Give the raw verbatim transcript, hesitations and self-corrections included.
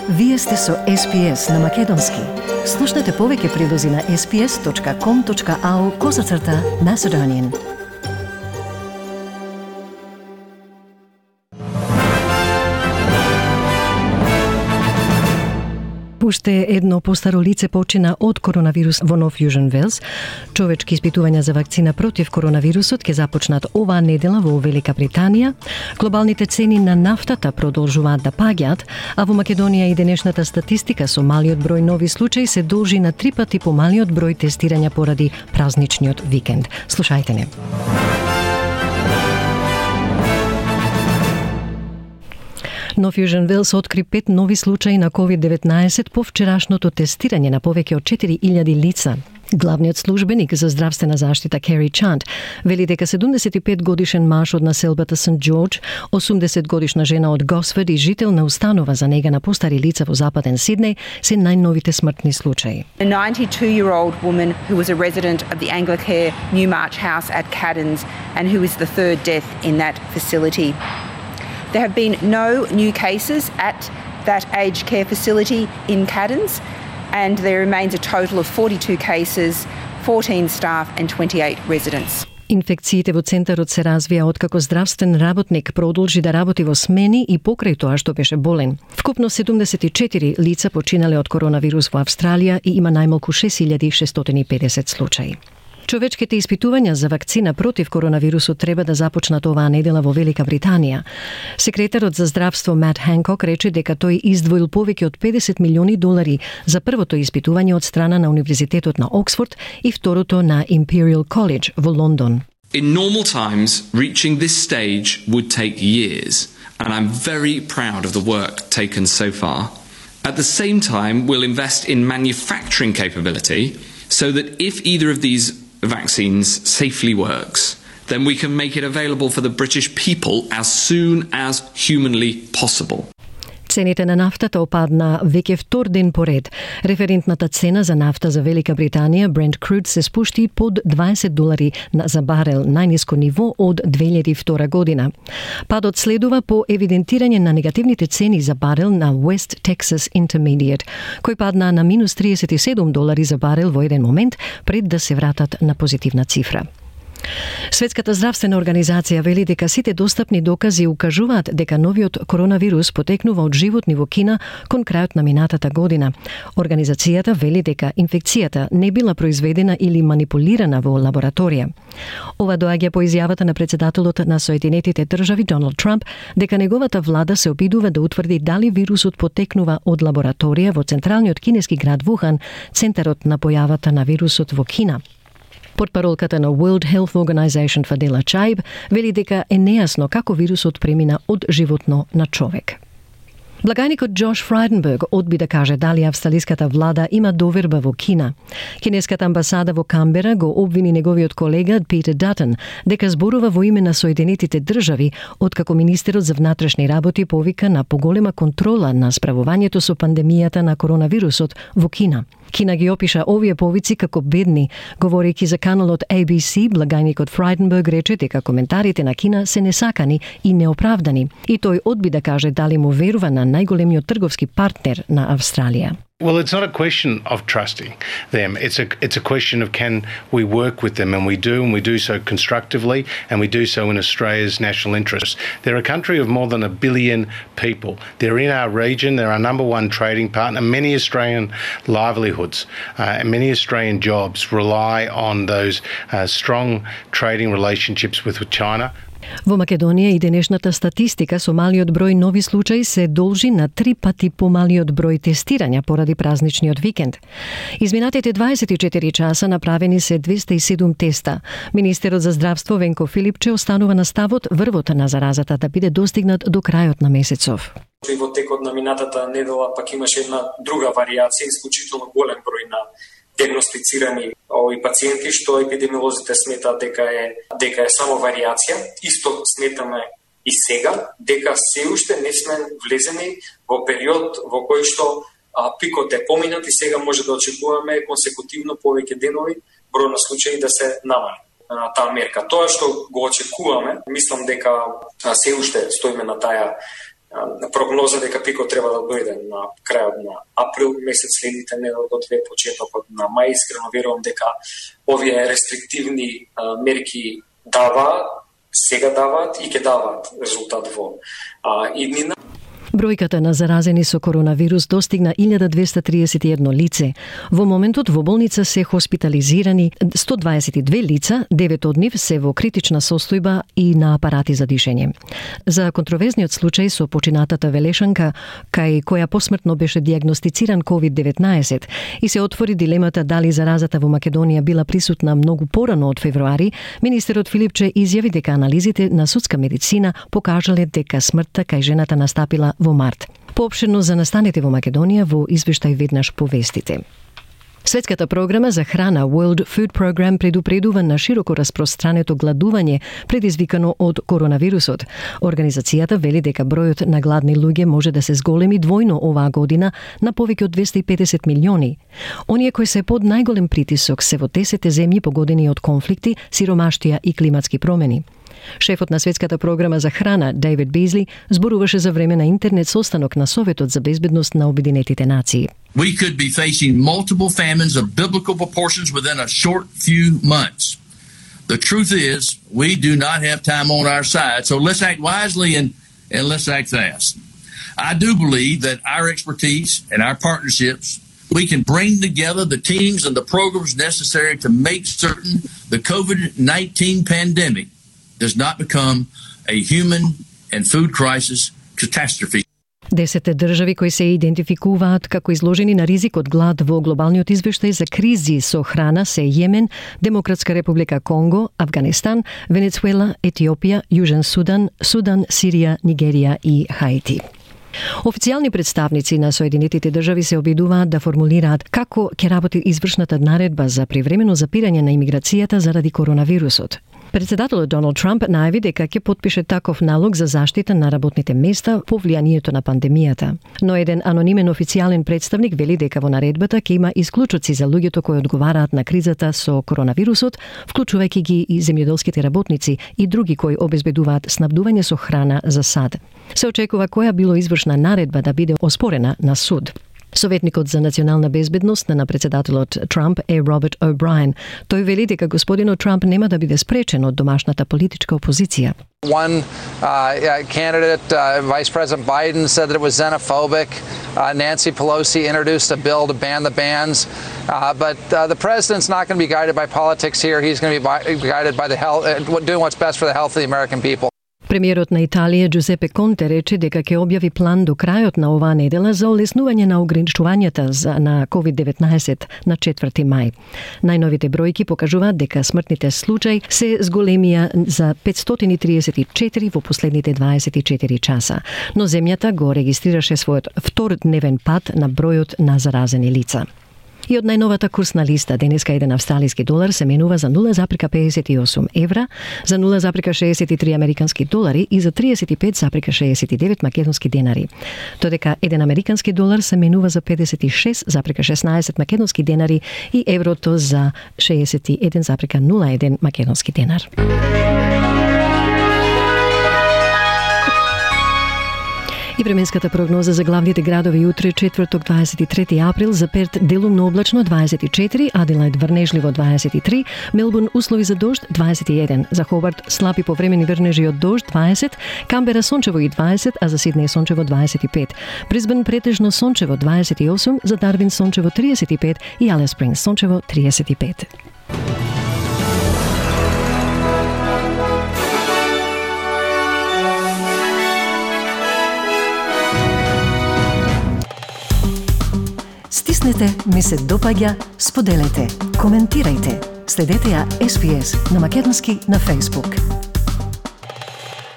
Вие сте со Ес Би Ес на Македонски. Слушнете повеќе прилози на ес би ес точка ком точка ау козацрта Macedonian. Уште едно постаро лице почина од коронавирус во Нов Јужен Велс. Човечки испитувања за вакцина против коронавирусот ќе започнат оваа недела во Велика Британија. Глобалните цени на нафтата продолжуваат да паѓаат, а во Македонија и денешната статистика со малиот број нови случаи се должи на три пати помалиот број тестирања поради празничниот викенд. Слушајте не. Нов Јужен Велс откри пет нови случаи на ковид деветнаесет по вчерашното тестирање на повеќе од четири илјади лица. Главниот службеник за здравствена заштита Кери Чант вели дека седумдесет и пет годишен маж од населбата Сент Џорџ, осумдесет годишна жена од Госфорд и жител на установа за нега на постари лица во Западен Сиднеј се најновите смртни случаи. A ninety-two-year-old woman who was a resident of the Anglicare Newmarch House at Caddens and who is the third death in that facility. There have been no new cases at that aged care facility in Caddens, and there remains a total of forty-two cases, fourteen staff and twenty-eight residents. Инфекциите во центарот се развија откако здравствен работник продолжи да работи во смени и покрај тоа што беше болен. Вкупно седумдесет и четири лица починале од коронавирус во Австралија и има најмалку шест илјади шестстотини и педесет случаи. Човечките испитувања за вакцина против коронавирусот треба да започнат оваа недела во Велика Британија. Секретарот за здравство Мат Ханкок рече дека тој издвоил повеќе од педесет милиони долари за првото испитување од страна на Универзитетот на Оксфорд и второто на Imperial College во Лондон. In normal times, reaching this stage would take years, and I'm very proud of the work taken so far. At the same time, we'll invest in manufacturing capability so that if either of these vaccines safely works, then we can make it available for the British people as soon as humanly possible. Цените на нафтата опадна веќе втор ден поред. Референтната цена за нафта за Велика Британија, Brent Crude, се спушти под дваесет долари за барел, најниско ниво од две илјади и втора година. Падот следува по евидентирање на негативните цени за барел на West Texas Intermediate, кој падна на минус триесет и седум долари за барел во еден момент пред да се вратат на позитивна цифра. Светската здравствена организација вели дека сите достапни докази укажуваат дека новиот коронавирус потекнува од животни во Кина кон крајот на минатата година. Организацијата вели дека инфекцијата не била произведена или манипулирана во лабораторија. Ова доаѓа по изјавата на претседателот на Соединетите држави Доналд Трамп дека неговата влада се обидува да утврди дали вирусот потекнува од лабораторија во централниот кинески град Вухан, центарот на појавата на вирусот во Кина. Портпаролката на World Health Organization Фадела Чаиб вели дека е нејасно како вирусот премина од животно на човек. Благајникот Джош Фрайденберг одби да каже дали австралиската влада има доверба во Кина. Кинеската амбасада во Камбера го обвини неговиот колега Питер Датон дека зборува во име на Соединетите држави, откако министерот за внатрешни работи повика на поголема контрола на справувањето со пандемијата на коронавирусот во Кина. Кина ги опиша овие повици како бедни. Говорејќи за каналот А Би Си, благајникот Фрайденберг рече дека коментарите на Кина се несакани и неоправдани. И тој одби да каже дали му верува на најголемиот трговски партнер на Австралија. Well, it's not a question of trusting them. It's a it's a question of can we work with them, and we do, and we do so constructively, and we do so in Australia's national interest. They're a country of more than a billion people. They're in our region. They're our number one trading partner. Many Australian livelihoods uh, and many Australian jobs rely on those uh, strong trading relationships with China. Во Македонија и денешната статистика со малиот број нови случаи се должи на три пати помалиот број тестирања поради празничниот викенд. Изминатите дваесет и четири часа направени се двеста и седум теста. Министерот за здравство Венко Филипче останува на ставот врвот на заразата да биде достигнат до крајот на месецов. И во текот на минатата недела пак имаше една друга варијација, исклучително голем број на диагностицирани овои пациенти, што епидемиолозите сметаат дека е дека е само варијација. Исто сметаме и сега дека се уште не сме влезени во период во кој што а, пикот е поминат и сега може да очекуваме консекутивно повеќе денови број на случаи да се намали на таа мерка. Тоа што го очекуваме, мислам дека се уште стоиме на таа прогноза дека пикот треба да дојде на крајот на април месец, следните недела до две, почетокот на мај. Искрено верувам дека овие рестриктивни а, мерки даваат, сега даваат и ќе даваат резултат во а, иднина. Бројката на заразени со коронавирус достигна илјада двесте триесет и едно лице. Во моментот во болница се хоспитализирани сто дваесет и две лица, девет од нив се во критична состојба и на апарати за дишење. За контроверзниот случај со починатата велешанка, кај која посмртно беше дијагностициран ковид деветнаесет и се отвори дилемата дали заразата во Македонија била присутна многу порано од февруари, министерот Филипче изјави дека анализите на судска медицина покажале дека смртта кај жената настапила во март. Поопширно за настаните во Македонија во извештај веднаш повестите. Светската програма за храна World Food Program предупредува на широко распространето гладување предизвикано од коронавирусот. Организацијата вели дека бројот на гладни луѓе може да се зголеми двојно оваа година на повеќе од двесте и педесет милиони. Оние кои се под најголем притисок се во десет земји погодени од конфликти, сиромаштија и климатски промени. Шефот на Светската програма за храна, Дейвид Бизли, зборуваше за време на интернет состанок на Советот за безбедност на Обединетите нации. We could be facing multiple famines of biblical proportions within a short few months. The truth is, we do not have time on our side, so let's act wisely and, and let's act fast. I do believe that our expertise and our partnerships, we can bring together the teams and the programs necessary to make certain the COVID nineteen pandemic does not become a human and food crisis catastrophe. Десетте држави кои се идентификуваат како изложени на ризик од глад во глобалниот извештај за кризи со храна се Јемен, Демократска република Конго, Авганистан, Венецуела, Етиопија, Јужен Судан, Судан, Сирија, Нигерија и Хаити. Официјални представници на Соединетите држави се обидуваат да формулираат како ќе работи извршната наредба за привремено запирање на имиграцијата заради коронавирусот. Председателот Доналд Трамп најави дека ќе потпише таков налог за заштита на работните места по влијанието на пандемијата. Но еден анонимен официјален представник вели дека во наредбата ќе има исклучоци за луѓето кои одговараат на кризата со коронавирусот, вклучувајќи ги и земјоделските работници и други кои обезбедуваат снабдување со храна за сад. Се очекува која било извршна наредба да биде оспорена на суд. Советникот за национална безбедност на председателот Трамп е Роберт О'Брајен. Тој вели дека господинот Трамп нема да биде спречен од домашната политичка опозиција. One uh, candidate, uh, Vice President Biden, said that it was xenophobic. Uh, Nancy Pelosi introduced a bill to ban the bans. Uh, but uh, the president's not going to be guided by politics here. He's going to be bi- guided by the health, uh, doing what's best for the health of the American people. Премиерот на Италија Джузепе Конте рече дека ќе објави план до крајот на оваа недела за олеснување на ограничувањата на ковид деветнаесет на четврти мај. Најновите бројки покажуваат дека смртните случаи се зголемија за петстотини и триесет и четири во последните дваесет и четири часа, но земјата го регистрираше својот втор дневен пад на бројот на заразени лица. И од најновата курсна листа, денеска еден австралиски долар се менува за нула запирка педесет и осум евра, за нула запирка шеесет и три американски долари и за триесет и пет запирка шеесет и девет македонски денари. Додека еден американски долар се менува за педесет и шест запирка шеснаесет македонски денари и еврото за шеесет и еден запирка нула еден македонски денар. И временската прогноза за главните градови утре, четврток дваесет и трети април, за Перт делумно облачно дваесет и четири, Аделајд врнежливо дваесет и три, Мелбурн услови за дожд дваесет и еден, за Хобарт слаби повремени врнежи од дожд дваесет, Камбера сончево и дваесет, а за Сиднеј сончево дваесет и пет, Брисбен претежно сончево дваесет и осум, за Дарвин сончево триесет и пет и Алиас Спрингс сончево триесет и пет. Стиснете, ми се допаѓа, споделете, коментирајте. Следете ја Ес Би Ес на македонски на Facebook.